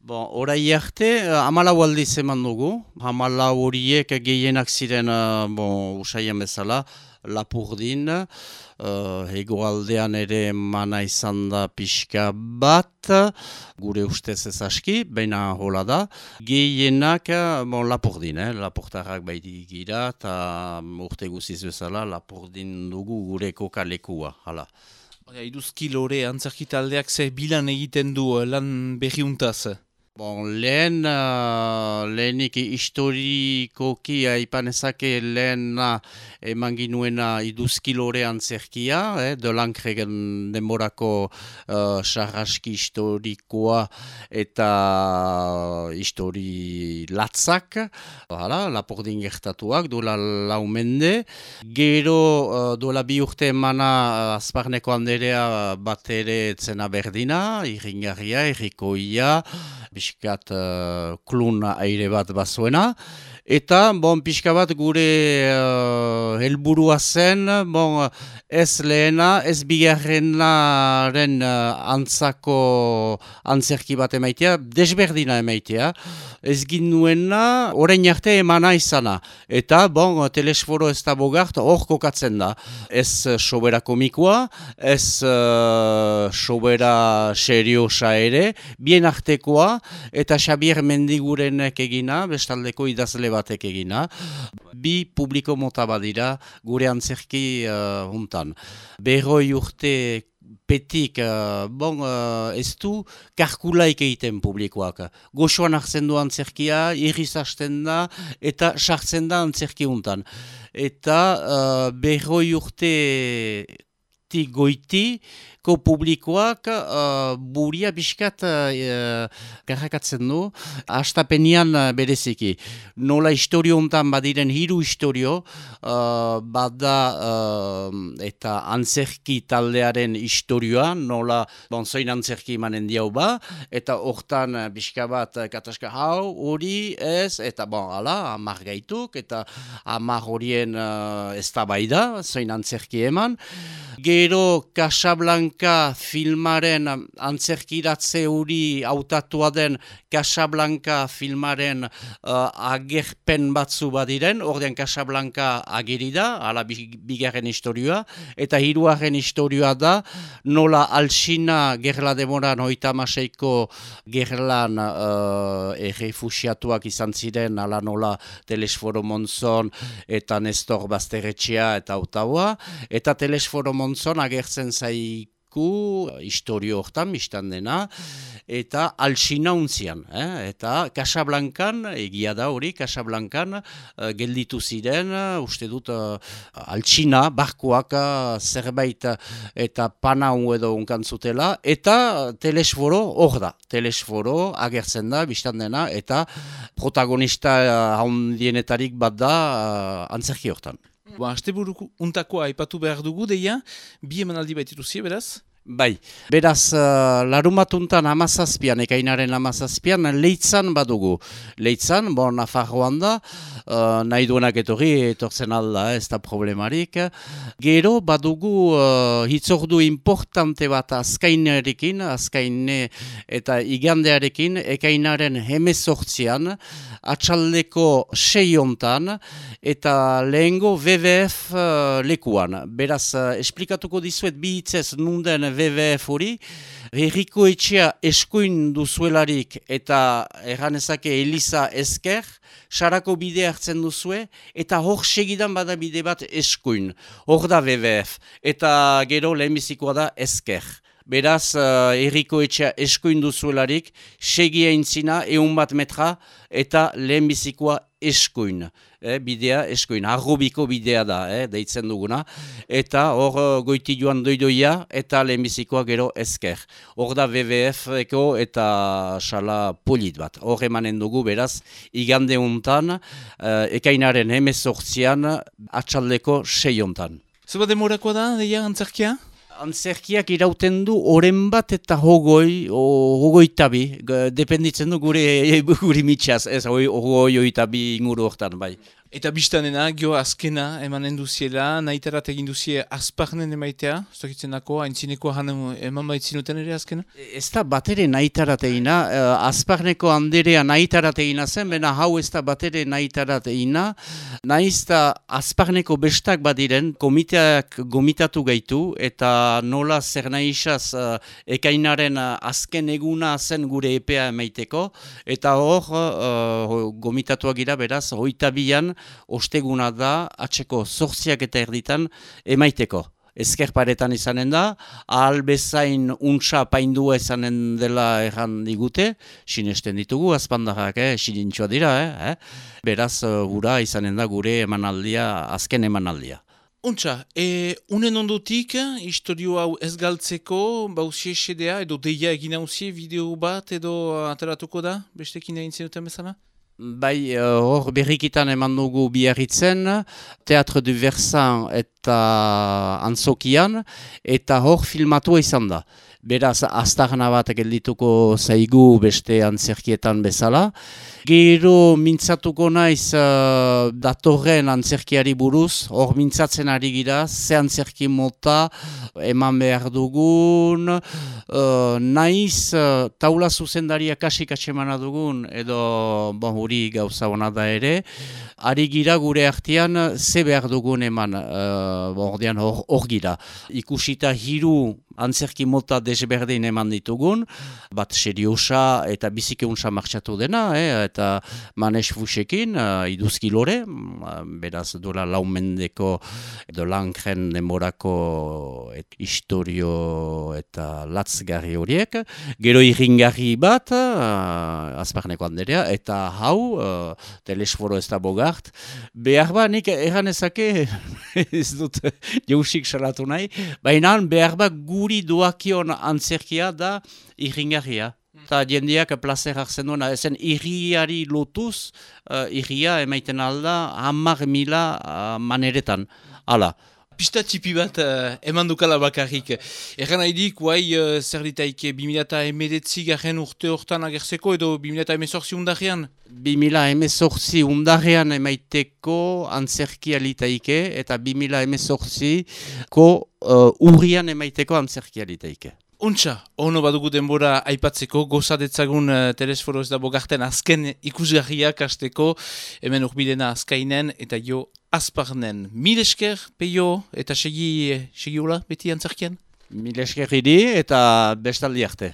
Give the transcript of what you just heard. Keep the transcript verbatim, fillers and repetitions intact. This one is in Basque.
Bon, orai arte, hamalau aldiz eman dugu. Hamalau horiek gehienak ziren, uh, bon, usaian bezala, Lapurdin, uh, hegoaldean ere mana izan da pixka bat, gure ustez ez aski, baina hola da. Gehienak, bon, Lapurdin, eh? Lapurtarrak baiti gira, eta urte guziz bezala, Lapurdin dugu gure kokalekua, hala. Iduzki lore antzerki taldeak ze bilan egiten du lan berriuntaz? Bon, lehen, uh, lehenik historikoki aipanezake lehen eman ginuena iduzki lore antzerkia, eh, de Lankregen denborako uh, sarraski historikoa eta histori latzak, hala, Lapurdin gertatuak, dola lau mende. Gero, uh, dola bi urte emana uh, Azparneko Anderea bat ere etzena berdina, irringarria, irrikoia, pixkat uh, klun aire bat bazuena, eta bon, pixka bat gure uh, helburua zen, bon, ez lehena, ez bigarrenaren uh, antzako antzerki bat emaitea, desberdina emaitea, ez ginuena orain arte emana izana, eta bon, telesforo ez da bogart hor kokatzen da, ez sobera komikoa, ez uh, sobera seriosa ere, bien artekoa, eta Xabier Mendigurenek egina, bestaldeko idazle batek egina. Bi publiko mota badira gure antzerki uh, huntan. Berroi urte petik, uh, bon, uh, ez du karkulaik egiten publikoak. Goxoan hartzen du antzerkia, irriz hasten da, eta sartzen da antzerki huntan. Eta uh, berroi urte goiti, ko publikoak uh, buria biskat uh, garrakatzen du, hastapenian uh, bereziki. Nola historio hontan badiren hiru historio, uh, bada uh, eta antzerki taldearen historioa, nola bonzoin antzerki manen diau ba, eta hortan uh, biska bat uh, kataska hau, hori ez, eta bon, ala, amar gaituk, eta amar horien uh, ez da baida, zoin antzerki eman. Gero Casablanca filmaren antzerkiratze hori hautatua den Casablanca filmaren uh, agerpen batzu badiren, ordean Casablanca ageri da, ala bigarren historioa, eta hiruaren historioa da, nola Alsina gerla demoran hoita maseiko gerlan uh, errefusiatuak izan ziren, ala nola Telesforo Monzon eta Nestor Basterretxea eta Ottawa, eta Telesforo Monzon agertzen zaiku historio hortan, biztan dena, eta Alsina untzian, eh? Eta Casablancan, egia da hori, Casablancan uh, gelditu ziren, uh, uste dut uh, Alsina, barkoak uh, zerbait uh, eta panau edo unkantzutela, eta Telesforo hor da, Telesforo agertzen da, biztan dena, eta protagonista uh, handienetarik bat da uh, antzerki hortan. Ba, asteburu untakoa aipatu behar dugu, deia, bi emanaldi baitituzie, beraz? Bai, beraz, uh, larumatuntan amazazpian, ekainaren amazazpian, Leitzan badugu. Leitzan, bon, Nafarroan da, uh, nahi duenak etorri, etortzen alda, ez da problemarik. Gero, badugu uh, hitzordu importante bat azkainerekin, azkaine eta igandearekin, ekainaren hemezortzian, atxaldeko sei hontan, eta lehengo W W F uh, lekuan. Beraz, uh, esplikatuko dizuet bi hitzez nunden W W F hori, Herriko Etxea eskuin duzuelarik eta erranezake Eliza esker, sarako bide hartzen duzue, eta hor segidan bada bide bat eskuin. Hor da W W F, eta gero lehenbizikoa da esker. Beraz, uh, Herriko Etxea eskuin duzuelarik, segia intzina, eun bat metra, eta lehenbizikoa eskuin. Eh, bidea eskuin, arrobiko bidea da, eh, deitzen duguna, eta hor uh, goiti joan doidoia, eta lehenbizikoa gero esker. Hor da W W F-eko eta sala polit bat. Hor emanen dugu, beraz, igande hontan, uh, ekainaren hemezortzian, atxaldeko sei hontan. Zeba demorakoa da, deia, antzerkia? Antzerkiak irauten du oren bat eta hogoi, o, hogoi tabi, dependitzen du gure, gure mitxaz, ez hogoi oitabi inguru hortan, bai. Eta biztanena, gio azkena emanen duziela, nahitarat egin duzie azparnen emaitea, ez dakitzen dako, haintzineko han eman baitzinuten ere azkena? Ez da batere nahitarat egina, uh, azparneko handerea nahitarat egina zen, bena hau ez da batere nahitarat egina, nahiz da azparneko bestak badiren, komiteak gomitatu gaitu, eta nola zer nahizaz uh, ekainaren uh, azken eguna zen gure epea emaiteko, eta hor uh, gomitatuak gira beraz, hoita bian, osteguna da, atseko zortziak eta erditan emaiteko. Ezker paretan izanen da, ahal bezain untsa paindua izanen dela erran digute, sinesten ditugu, azpandarrak, eh, sinintxoa dira, eh, eh? Beraz, gura izanen da gure emanaldia, azken emanaldia. Untsa, e, unen ondotik, historio hau ez galtzeko, bauzie esedea, edo deia egin hauzie, bideo bat, edo ateratuko da, bestekin egin zenuten bezala? Bai, hor uh, berrikitan eman dugu biarritzen, Teatre du Versan eta Antzokian, eta hor filmatua izan da. Beraz, aztarna bat geldituko zaigu beste antzerkietan bezala. Gero mintzatuko naiz uh, datorren antzerkiari buruz, hor mintzatzen ari gira, ze antzerki mota eman behar dugun, uh, naiz uh, taula zuzendaria kasik atsemana dugun, edo bon, huri gauza hona da ere, ari gira gure artean ze behar dugun eman, uh, ordean hor, hor gira. Ikusita hiru antzerki mota desberdin eman ditugun, bat seriosa eta bizikeunsa martxatu dena, eh, eta Manes Fusekin, uh, iduzki lore, beraz dola laumendeko edo lankren demorako et, historio eta latzgarri horiek, gero irringarri bat, uh, azparneko handerea, eta hau, uh, telesforo ez da bogart, behar ba, nik erran ezake, ez dut jausik salatu nahi, baina behar ba guri doakion antzerkia da irringarria. Eta jendeak plazer hartzen duena, ezen irriari lotuz, uh, irria emaiten alda hamar mila uh, maneretan. Hala. Pista txipi bat uh, eman dukala bakarrik. Erran haidik, guai, uh, zer ditaike, bi mila emedetzi garen urte hortan agertzeko edo bi mila emezortzi undarrean? bi mila emezortzi undarrean emaiteko antzerkia litaike eta bi mila emezortziko uh, urrian emaiteko antzerkia litaike. Untsa, ono badugu denbora aipatzeko, gozadetzagun uh, telesforo ez da bogarten azken ikusgarriak hasteko, hemen urbidena azkainen eta jo azparnen. Mil esker, peio, eta segi, segi hola, beti antzerkian? Mil esker idi eta bestaldi arte.